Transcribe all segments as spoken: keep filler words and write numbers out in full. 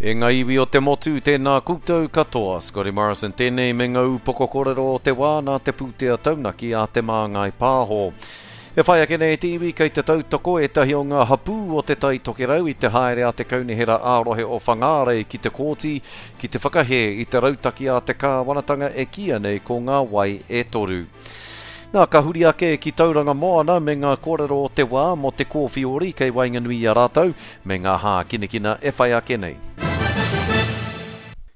E ngā iwi o te motu, tēnā koutou katoa. Scotty Morrison tēnei me ngā upoko kōrero o te wā nā te pūtea taunaki a Te Māngai Pāho. E whai ake nei te iwi kei te tautoko ētahi o ngā hapū o Te Tai Tokerau i te haere a te Kaunihera ā-rohe o Whangārei ki te kōti ki te whakahē i te rautaki a te kāwanatanga e kīia nei ko ngā wai e toru. Nā, ka huri ake ki Tauranga Moana me ngā kōrero o te wā mō te kōwhiori kei waenganui i a rātou me ngā hākinakina e whai ake nei.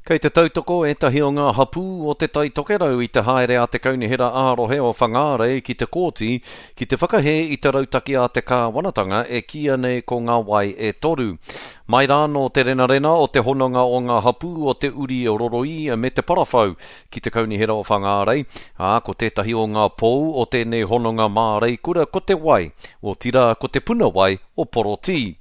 Kei te tautoko ētahi o ngā hapū o Te Tai Tokerau i te haere a te Kaunihera ā-rohe o Whangārei ki te kōti ki te whakahē i te rautaki a te kāwanatanga e kīia nei ko ngā wai e toru. Mai rānō te renarena o te hononga o ngā hapū o Te Uri Roroī me Te Parawhau ki te Kaunihera o Whangārei, ā, ko tētahi o ngā pou o tēnei hononga māreikura ko te wai, otirā ko te puna wai o Porotī.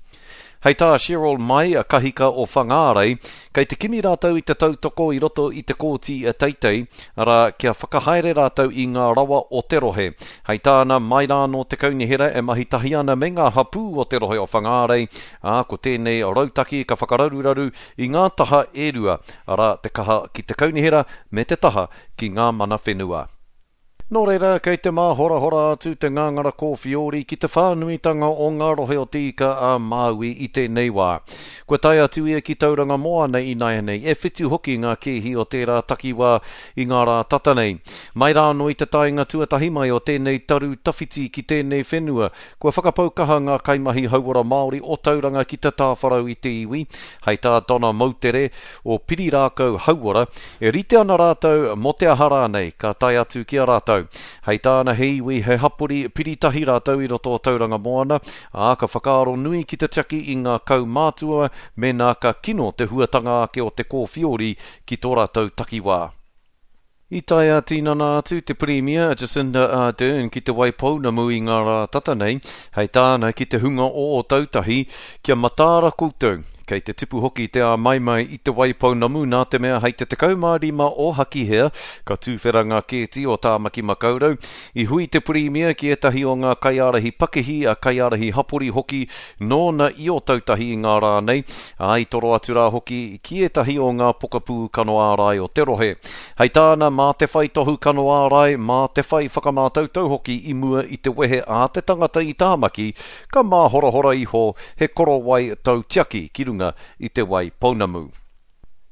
Hei tā Cheryl Mai, kahika o Whangārei, kei te kimi rātou i te tautoko i roto i te kōti teitei, arā, kia whakahaere rātou i ngā rawa o te rohe. Hei tāna, mai rānō te kaunihera e mahi tahi ana me ngā hapū o te rohe o Whangārei, ā, ko tēnei rautaki ka whakararuraru i ngā taha e rua, arā, te kaha ki te kaunihera me te taha ki ngā mana whenua. Nō reira, kei te māhorahora atu te ngāngara kōwhiori ki te whānuitanga o ngā rohe o Te Ika a Māui i tēnei wā. Kua tae atu ia ki Tauranga Moana ināianei, e whitu hoki ngā kēhi o tērā takiwā i ngā rā tata nei. Mai rānō i te taenga tuatahi mai o tēnei taru tawhiti ki tēnei whenua, kua whakapau kaha ngā kaimahi hauora Māori o Tauranga ki te tāwharau i te iwi, hei tā Donna Moutere o Pirirākau Hauora, e rite ana rātou mō te aha rānei ka tae atu ki a rātou. Hei tāna he iwi, he hapori piritahi rātou i roto o Tauranga Moana, ā, ka whakaaro nui ki te tiaki i ngā kaumātua mēnā ka kino te huatanga ake o te kōwhiori ki tō rātou takiwā. I tae ā-tinana atu te Pirimia a Jacinda Ardern ki Te Waipounamu i ngā rā tata nei, hei tāna ki te hunga o Ōtautahi, kia mataara koutou. Kei te tipu hoki te āmaimai i Te Waipounamu nā te mea hei te tekau mā rima o Hakihea ka tūwhera ngā kēti o Tāmaki Makaurau. I hui te Pirimia ki ētahi o ngā kaiārahi pakihi, a kaiārahi hapori hoki nōna i Ōtautahi i ngā rā nei, ā, i toro atu rā hoki ki ētahi o ngā pokapū kano ārai o te rohe. Hei tāna, mā te whai tohu kano ārai, mā te whai whakamātautau hoki i mua i te wehe a te tangata i Tāmaki, ka māhorahora iho he korowai tautiaki ki runga i Te Waipounamu.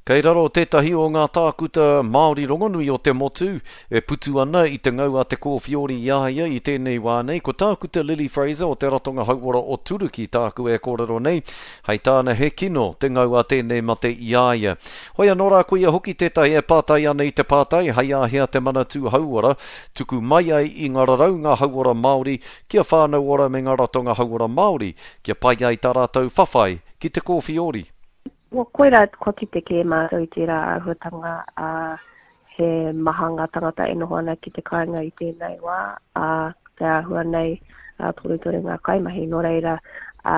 Kei raro tētahi o ngā tākuta Māori rongonui o te motu e putu ana i te ngau a te kōwhiori i a ia i tēnei wā nei, ko Tākuta Lily Fraser o te Ratonga Hauora o Turuki tāku e kōrero nei, hei tāna he kino te ngau a tēnei mate i a ia. Hoi anō rā ko ia hoki tētahi e pātai ana i te pātai hei āhea te Manatū Hauora tuku mai ai i ngā raraunga hauora Māori kia Whānau Ora me ngā ratonga hauora Māori kia pai ai tā rātou whawhai ki te kōwhiori. Well, koira kua kite kē mātou i tērā āhuatanga, ā, he maha ngā tangata e noho ana ki te kāinga i tēnei wā, ā, te āhua nei, ā, torutoru ngā kaimahi, nō reira, ā,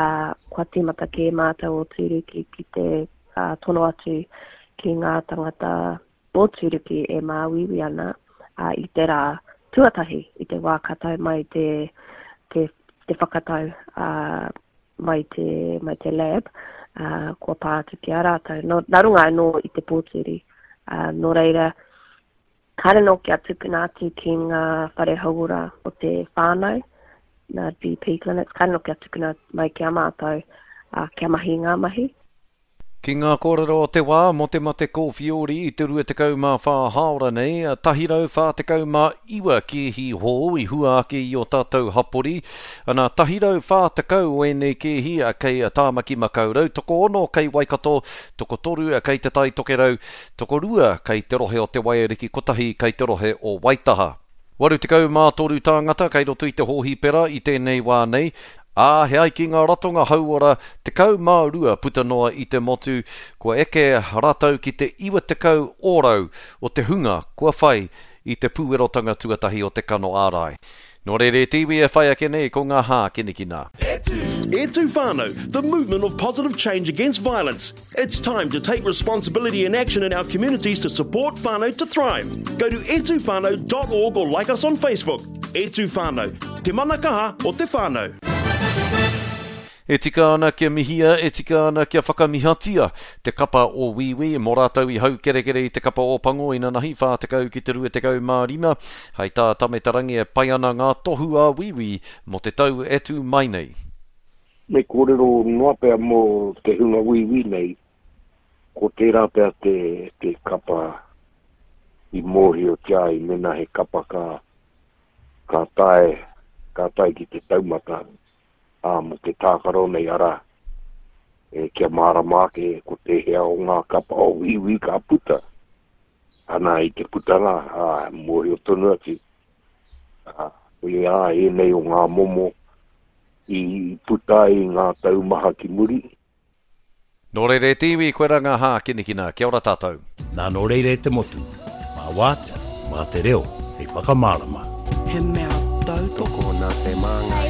kua tīmata kē mātou o Tūruki ki te, ā, tono atu ki ngā tangata o Tūruki e māuiui ana, ā, i te rā tuatahi, i te wā ka tae mai te, te, te whakatau, ā, mai te, mai te lab, ā, kua pā atu ki a rātou. Nō, nā runga anō i te pōturi. Ā, nō reira, kāre nō kia tukuna atu ki ngā whare hauora o te whānau, ngā G P clinics, kāre nō kia tukuna mai ki a mātou, ā, kia mahi i ngā mahi. Ki ngā kōrero o te wā mō te mate kōwhiori i te rua tekau mā whā hāora nei, tahi rau whā tekau mā iwa kēhi hou i hua ake i o tātou hapori. Ana, tahi rau whā tekau o ēnei kēhi kei Tāmaki Makaurau, tokoono kei Waikato, tokotoru kei Te Tai Tokerau, tokorua kei te rohe o Te Waiariki, kotahi kei te rohe o Waitaha. Waru tekau mā toru tāngata kei roto i te hōhipera i tēnei wā nei, ā, he ai ki ngā ratonga hauora tekau mā rua puta noa i te motu, kua eke rātou ki te iwa tekau ōrau o te hunga kua whai i te pūerotanga tuatahi o te kano ārai. Nō reira e te iwi e whai ake nei ko ngā hākinakina. E tū whānau, the movement of positive change against violence. It's time to take responsibility and action in our communities to support whānau to thrive. Go to e tū whānau dot org or like us on Facebook. E tū whānau, te mana kaha o te whānau. E tika ana kia mihia, e tika ana kia whakamihatia te kapa o Wīwī mō rātou i haukerekere i te kapa o Pango inanahi whā tekau ki te rua tekau mā rima. Hei tā Tame Te Rangi e pai ana ngā tohu a Wīwī mō te tau e tū mai nei. Me kōrero noa pea mō te hunga Wīwī nei, ko tērā pea te, te kapa i mōhiotia ai mena he kapa ka, ka tae, ka tae ki te taumata, ā, mō te tākaro nei, arā, e, kia mārama ake ko tēhea o ngā kapa o Wīwī ka puta. Ana i te putanga, ā, mōhio tonu atu, ā, koia ēnei o ngā momo i puta ai i ngā tau maha ki muri. Nō reira e te iwi, koe rā ngā hākinakina. Kia ora tātou. Nā nō reira e te motu, mā wātea, mā te reo, hei whakamārama. He mea tautoko. Tokona te māngai.